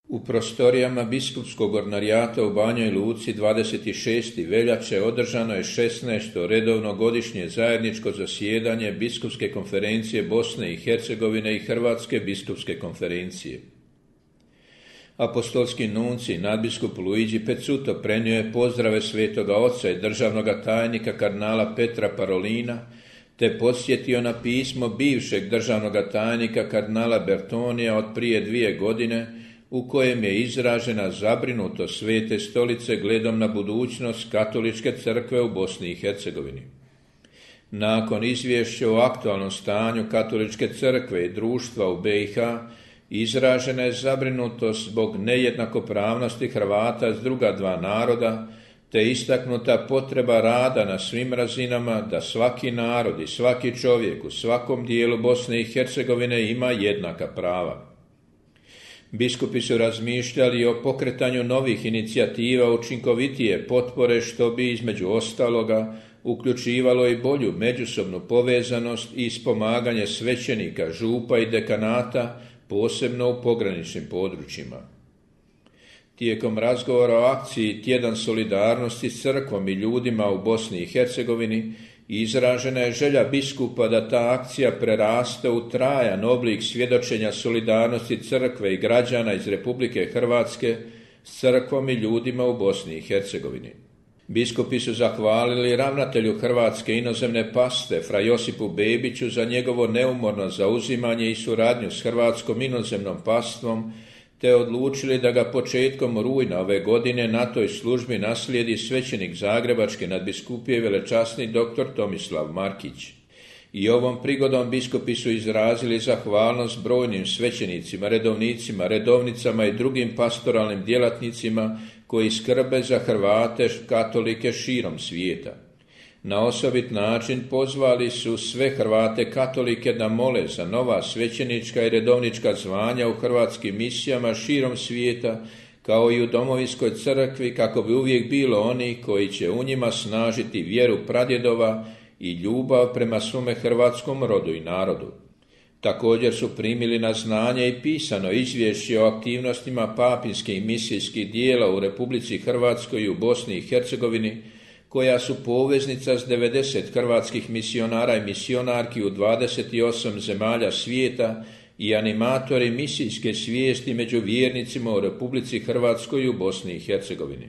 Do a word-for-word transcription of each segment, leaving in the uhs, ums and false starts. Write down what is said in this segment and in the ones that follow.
U prostorijama biskupskog ordinarijata u Banjoj Luci dvadeset šestog veljače održano je šesnaesto redovno godišnje zajedničko zasjedanje Biskupske konferencije Bosne i Hercegovine i Hrvatske biskupske konferencije. Apostolski nunci nadbiskup Luigi Pezzuto prenio je pozdrave Svetoga Oca i državnoga tajnika kardinala Petra Parolina, te podsjetio na pismo bivšeg državnoga tajnika kardinala Bertonija od prije dvije godine, u kojem je izražena zabrinutost Svete Stolice gledom na budućnost katoličke crkve u Bosni i Hercegovini. Nakon izvješća o aktualnom stanju katoličke crkve i društva u B i H, izražena je zabrinutost zbog nejednakopravnosti Hrvata s druga dva naroda, te istaknuta potreba rada na svim razinama da svaki narod i svaki čovjek u svakom dijelu Bosne i Hercegovine ima jednaka prava. Biskupi su razmišljali o pokretanju novih inicijativa učinkovitije potpore, što bi između ostaloga uključivalo i bolju međusobnu povezanost i ispomaganje svećenika, župa i dekanata, posebno u pograničnim područjima. Tijekom razgovora o akciji Tjedan solidarnosti s crkvom i ljudima u Bosni i Hercegovini izražena je želja biskupa da ta akcija preraste u trajan oblik svjedočenja solidarnosti crkve i građana iz Republike Hrvatske s crkvom i ljudima u Bosni i Hercegovini. Biskupi su zahvalili ravnatelju Hrvatske inozemne paste fra Josipu Bebiću za njegovo neumorno zauzimanje i suradnju s Hrvatskom inozemnom pastvom, te odlučili da ga početkom rujna ove godine na toj službi naslijedi svećenik Zagrebačke nadbiskupije velečasni doktor Tomislav Markić. I ovom prigodom biskupi su izrazili zahvalnost brojnim svećenicima, redovnicima, redovnicama i drugim pastoralnim djelatnicima koji skrbe za Hrvate katolike širom svijeta. Na osobit način pozvali su sve Hrvate katolike da mole za nova svećenička i redovnička zvanja u hrvatskim misijama širom svijeta, kao i u domovinskoj crkvi, kako bi uvijek bilo oni koji će u njima snažiti vjeru pradjedova i ljubav prema svome hrvatskom rodu i narodu. Također su primili na znanje i pisano izvješće o aktivnostima papinskih misijskih dijela u Republici Hrvatskoj i u Bosni i Hercegovini, koja su poveznica s devedeset hrvatskih misionara i misionarki u dvadeset osam zemalja svijeta i animatori misijske svijesti među vjernicima u Republici Hrvatskoj i u Bosni i Hercegovini.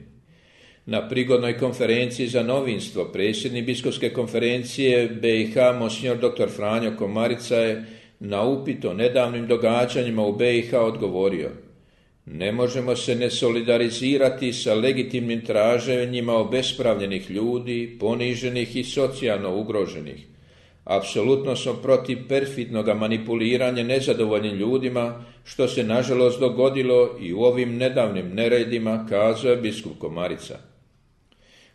Na prigodnoj konferenciji za novinstvo predsjednik biskupske konferencije B i H monsignor doktor Franjo Komarica je na upit o nedavnim događanjima u B i H odgovorio: ne možemo se ne solidarizirati sa legitimnim traženjima obespravljenih ljudi, poniženih i socijalno ugroženih. Apsolutno smo protiv perfidnog manipuliranja nezadovoljnim ljudima, što se nažalost dogodilo i u ovim nedavnim neredima, kazao je biskup Komarica.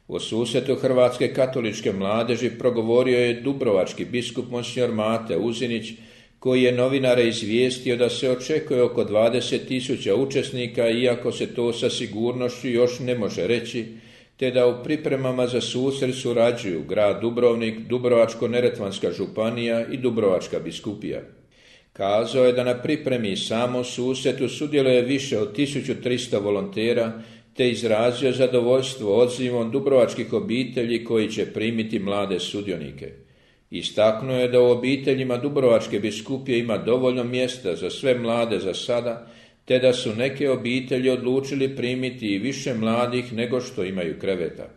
U susretu Hrvatske katoličke mladeži progovorio je dubrovački biskup monsignor Mate Uzinić, koji je novinare izvijestio da se očekuje oko dvadeset tisuća učesnika, iako se to sa sigurnošću još ne može reći, te da u pripremama za susret surađuju grad Dubrovnik, Dubrovačko-neretvanska županija i Dubrovačka biskupija. Kazao je da na pripremi i samom susretu sudjeluje više od tisuću tristo volontera, te izrazio zadovoljstvo odzivom dubrovačkih obitelji koji će primiti mlade sudionike. Istaknuo je da u obiteljima Dubrovačke biskupije ima dovoljno mjesta za sve mlade za sada, te da su neke obitelji odlučili primiti i više mladih nego što imaju kreveta.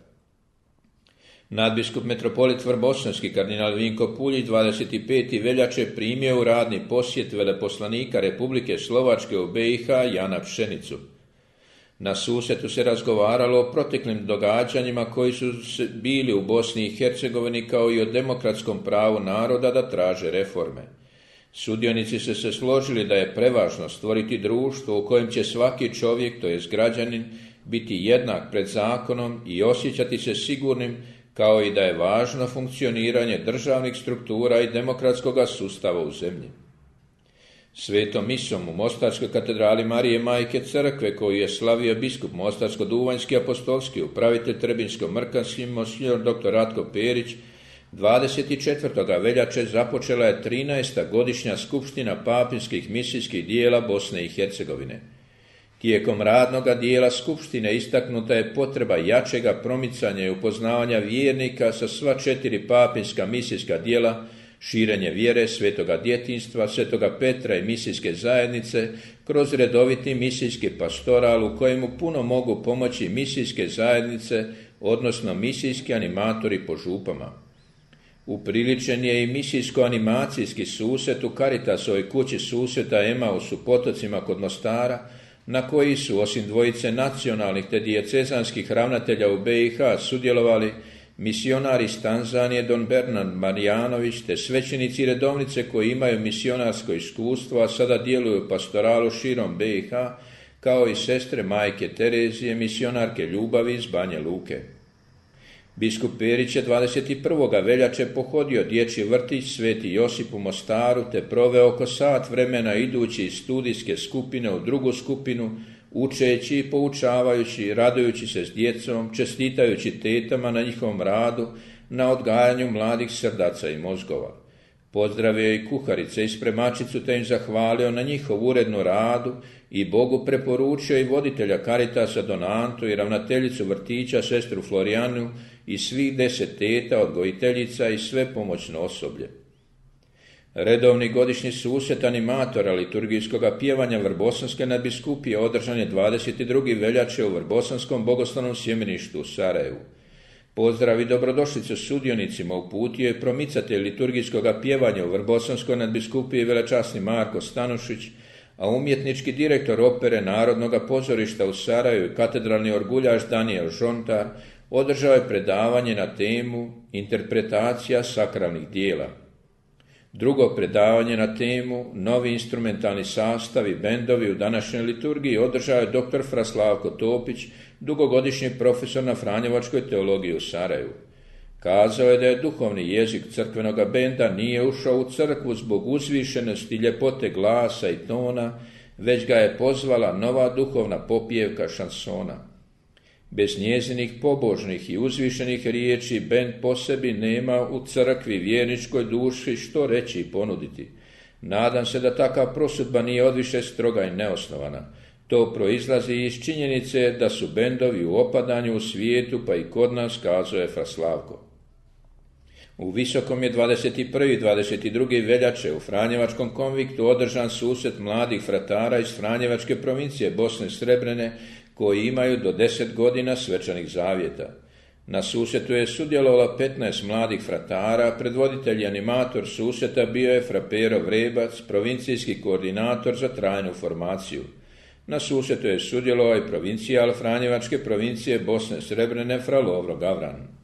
Nadbiskup metropolit Vrbosanski kardinal Vinko Puljić dvadeset petog veljače primio u radni posjet veleposlanika Republike Slovačke u B i H Jana Pšenicu. Na susretu se razgovaralo o proteklim događanjima koji su bili u Bosni i Hercegovini, kao i o demokratskom pravu naroda da traže reforme. Sudionici su se složili da je prevažno stvoriti društvo u kojem će svaki čovjek, to jest građanin, biti jednak pred zakonom i osjećati se sigurnim, kao i da je važno funkcioniranje državnih struktura i demokratskog sustava u zemlji. Svetom misom u Mostarskoj katedrali Marije Majke Crkve, koju je slavio biskup Mostarsko-duvanjski apostolski upravitelj Trebinsko-Mrkanski monsignor doktor Ratko Perić, dvadeset četvrtog veljače započela je trinaesta godišnja skupština papinskih misijskih dijela Bosne i Hercegovine. Tijekom radnoga dijela skupštine istaknuta je potreba jačega promicanja i upoznavanja vjernika sa sva četiri papinska misijska djela, širenje vjere, svetoga djetinjstva, svetoga Petra i misijske zajednice, kroz redoviti misijski pastoral u kojemu puno mogu pomoći misijske zajednice, odnosno misijski animatori po župama. Upriličen je i misijsko-animacijski susret u Caritasovoj kući susreta Emaus u Potocima kod Mostara, na koji su, osim dvojice nacionalnih te dijecezanskih ravnatelja u be i ha, sudjelovali misionari iz Tanzanije Don Bernard Marijanović te svećenici i redovnice koji imaju misionarsko iskustvo, a sada djeluju u pastoralu širom be i ha, kao i sestre majke Terezije, misionarke ljubavi iz Banje Luke. Biskup Perić je dvadeset prvog veljače pohodio dječji vrtić Sveti Josip u Mostaru te proveo oko sat vremena idući iz studijske skupine u drugu skupinu, učeći i poučavajući, radujući se s djecom, čestitajući tetama na njihovom radu, na odgajanju mladih srdaca i mozgova. Pozdravio i kuharice i spremačicu te im zahvalio na njihovu urednu radu i Bogu preporučio i voditelja Caritasa Don Antu i ravnateljicu vrtića sestru Florijanu i svih deset teta, odgojiteljica i sve pomoćno osoblje. Redovni godišnji susret animatora liturgijskog pjevanja Vrbosanske nadbiskupije održan je dvadeset druge veljače u Vrbosanskom bogoslovnom sjemeništu u Sarajevu. Pozdrav i dobrodošlicu sudionicima uputio je promicatelj liturgijskog pjevanja u Vrbosanskoj nadbiskupiji velečasni Marko Stanušić, a umjetnički direktor opere Narodnog pozorišta u Sarajevu i katedralni orguljaš Daniel Žontar održao je predavanje na temu Interpretacija sakralnih dijela. Drugo predavanje na temu Novi instrumentalni sastavi bendovi u današnjoj liturgiji održao je doktor Fraslavko Topić, dugogodišnji profesor na Franjevačkoj teologiji u Sarajevu. Kazao je da je duhovni jezik crkvenog benda nije ušao u crkvu zbog uzvišenosti i ljepote glasa i tona, već ga je pozvala nova duhovna popjevka šansona. Bez njezinih pobožnih i uzvišenih riječi bend po sebi nema u crkvi vjerničkoj duši što reći i ponuditi. Nadam se da takav prosudba nije odviše stroga i neosnovana. To proizlazi iz činjenice da su bendovi u opadanju u svijetu, pa i kod nas, kazao je Fraslavko. U Visokom je dvadeset prve i dvadeset druge veljače u Franjevačkom konviktu održan susret mladih fratara iz Franjevačke provincije Bosne Srebrene koji imaju do deset godina svečanih zavjeta. Na susretu je sudjelovalo petnaest mladih fratara, predvoditelj i animator susreta bio je fra Pero Vrebac, provincijski koordinator za trajnu formaciju. Na susretu je sudjelovao i provincijal Franjevačke provincije Bosne Srebrene fra Lovro Gavran.